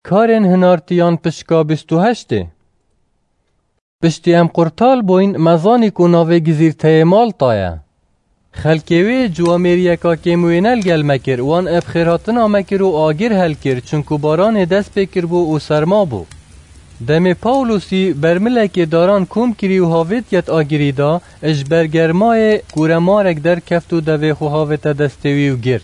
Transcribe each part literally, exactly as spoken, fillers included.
Karên hinartiyan pişka bîst û heştê. Piştî em qurtal bûyn, me zanî ku navê gizîrteyê Malta ye. Xelkê wê ciwamêriyeka kêmwêne li gel me kir, wan eb xêrhatina me kir û agir hel kir, çinku baranê dest pê kiribû û serma bû. Demê Pawlosî bermilekê daran kom kirî û havêt yet agirî da, ji ber germayê kuremarek derkeft û devê xwe havête destê wî û girt.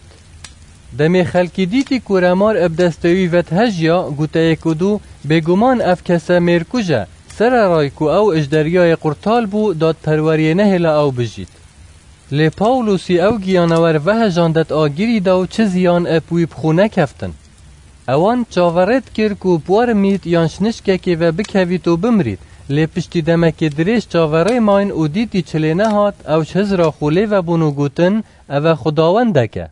Demê xelkî dîtî kuremar eb destê wî vethejiya, goteyê ku dû, bêguman ev kese mêrkuj e, sereray ku ew ji deryayê qurtal bû, dadperweriyê nehêla ew bijît. Lê Pawlosî ew giyanawer vehejandet agirî da û çi ziyan eb wî bi xwe nekeftin. Ewan çaverê dikir ku bi war mît yan şnişkekê ve bikevît û bimrît, lê piştî demekê dirêj çaverê mayn û dîtî çi lê nehat, ew ji hizra xwe lê vebûn û gotin, ev e xwedawendek e.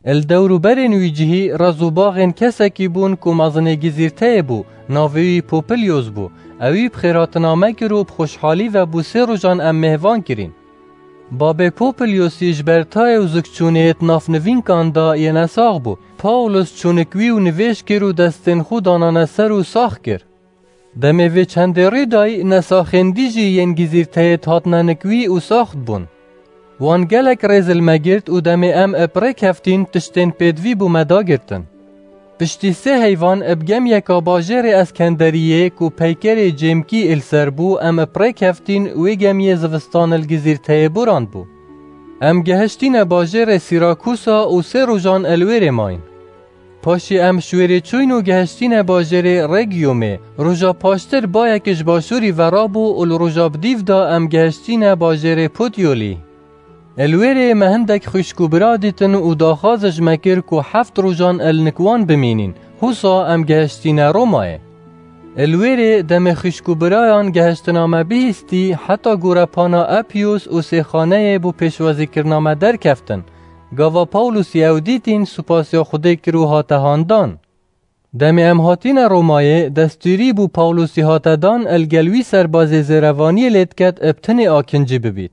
Li dewrûberên wî cihî rez û baxên kesekî bûn ku mezinê gizîrteyê bû, navê wî Popilyos bû. Ewî bi xêrhatina me kir û bi xweşhalî ve bû sê rojan em mêhvan kirîn. Babê Popilyosî ji ber tayê û zikçûnê di nav nivînkan de yê nesax bû. Pawlos çûnik wî û nivêj kir û destên xwe danane ser û sax kir. Demê vê çendê rû dayî, nesaxên dî jî yên gizîrteyê dihatine nik wî û sax dibûn. Wan gelek rêz li me girt û demê em eb rê keftîn, tiştên pêdivî bo me dagirtin. Piştî sê heyvan eb gemiyeka bajêrê Eskenderiyê ku peykerê cêmkî li ser bû, em eb rê keftîn, wê gemiyê zivistan li gizîrteyê borandbû. Em gehiştîne bajêrê Sîrakusa û sê rojan li wêrê mayîn. Paşê em ji wêrê çûyn û gehiştîne bajêrê Regiyumê. Roja paştir bayek ji başûrî ve rabû û li roja bi dîv de em gehiştîne bajêrê Putyolî. Li wêrê me hindek xwişk û bira dîtin û daxwaz ji me kir ku heft rojan li nik wan bimînîn. Husa em gehiştîne Romayê. Li wêrê demê xwişk û birayan gehiştina me bihîstî, heta gorepana Apiyos û sêxaneyê bo pêşwazîkirina me derkeftin. Gava Pawlosî ew dîtîn, supasiya Xwedê kir û hate handan. Demê em hatîne Romayê, destûrî bo Pawlosî hate dan, li gel wî serbazê zêrevaniyê lê diket, eb tinê akincî bibît.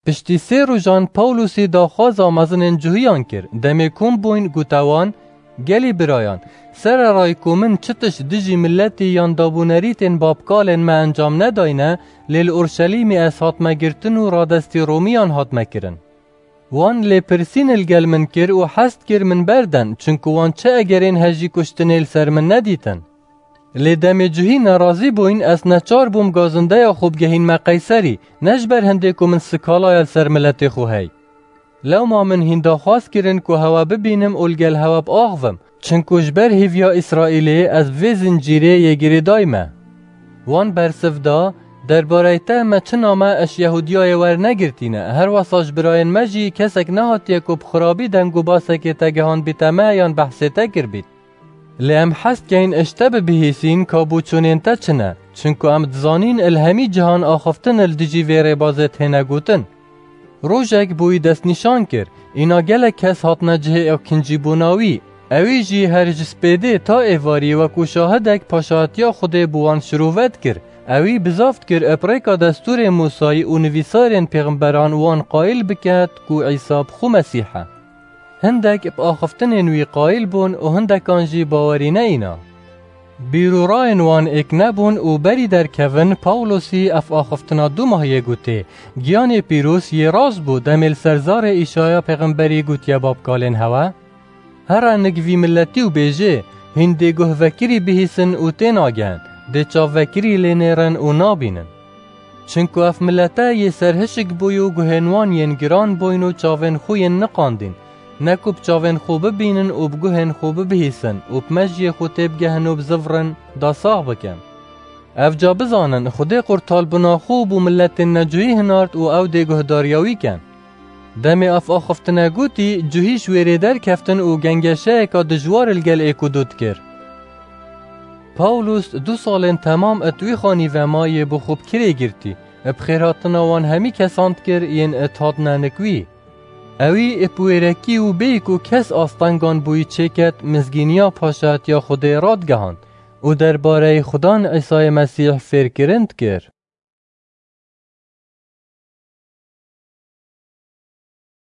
Piştî sê rojan Pawlosî daxwaza mezinên cuhiyan kir. Demê kom bûyn, gote wan, gelî birayan, sereray ku min çi tişt dijî miletî yan dabûnerîtên babkalên me encam nedayne, lê li Urşelîmê ez hatme girtin û radestî Romiyan hatme kirin. Wan lêpirsîn li gel min kir û hest kir min berden, çinku wan çi egerên hejî kuştinê li ser min nedîtin. Lê demê cuhî nerazî bûyn, ez neçar bûm gazindeya xwe bigehînme Qeyserî, ne ji ber hindê ku min sikalaya li ser miletê xwe hey. Lewma min hîn daxwaz kirin ku hewe bibînim û li gel hewe biaxivim, çinku ji ber hêviya Îsraîlê ez bi vê zincîrê yê girêdayî me. Wan bersiv da, derbareyê te me çi name ji Yehûdiyayê wernegirtîne, her wesa ji birayên me jî kesek nehatiye ku bi xirabî deng û basekê te gihandbîte me yan behsê te kirbît. Lê em hez dikeyn ji te bibihîsîn ka boçûnên te çi ne, çinku em dizanîn li hemî cihan axiftin li dijî vê rêbazê têne gotin. Rojek bo wî destnîşan kir, îna gelek kes hatine cihê akincîbûna wî. Ewî jî her ji spêdê ta êvarî wekû şahidek paşatiya Xwedê bi wan şirove dikir. Ewî bizav dikir eb rêka destûrê Mûsayî û nivîsarên pêxemberan wan qayîl biket ku Îsa bi xwe Mesîh e. Hindek bi axiftinên wî qayîl bûn û hindekan jî bawerî neyîna. Bîr û rayên wan êk nebûn û berî derkevin, Pawlosî ev axiftina du mahiyê gotê, giyanê pîroz yê rast bû, demê li ser zarê Îşaya pêxemberî gotiye babkalên hewe, here nik vî miletî û bêjê, hîn dê guh vekirî bihîsin û tênagehin, dê çav vekirî lê nêrin û nabînin. Çinku ev milete yê serhişk bûy û guhên wan yên giran bûyn û çavên xwe yên niqandîn, ne ku bi çavên xwe bibînin û bi guhên xwe bibihîsin û bi mejiyê xwe têbigehin û bizivirin, da sax bikin. Evca bizanin, Xwedê qurtalbûna xwe bo miletên necuhî hinart û ew dê guhdariya wî ken. Demê ev axiftina gotî, cuhî ji wêrê derkeftin û gengeşeyeka dijwar li gel êk û du dikir. Pawlos du salên temam it wî xanî ve ma yê bi xwe bi kirê girtî, bi xêrhatina wan hemî kesan dikir yên it hatine nik wî. Ewî bi wêrekî û bêyî ku kes astengan bo wî çêket, mizgîniya paşatiya Xwedê radigehand û derbareyê Xudan Îsayê Mesîh fêrkirin dikir.